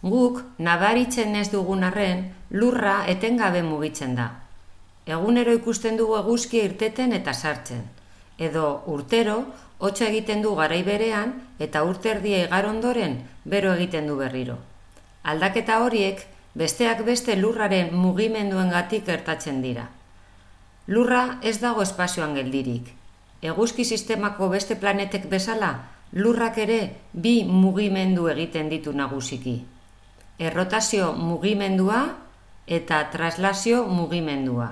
Guk nabaritzen ez dugun arren, lurra etengabe mugitzen da. Egunero ikusten dugu eguzkia irteten eta sartzen. Edo urtero, hotza egiten du garai berean eta urte erdia igar ondoren bero egiten du berriro. Aldaketa horiek besteak beste lurraren mugimenduengatik gertatzen dira. Lurra ez dago espazioan geldirik. Eguzki sistemako beste planetek bezala, lurrak ere bi mugimendu egiten ditu nagusiki. Errotazio mugimendua eta traslazio mugimendua.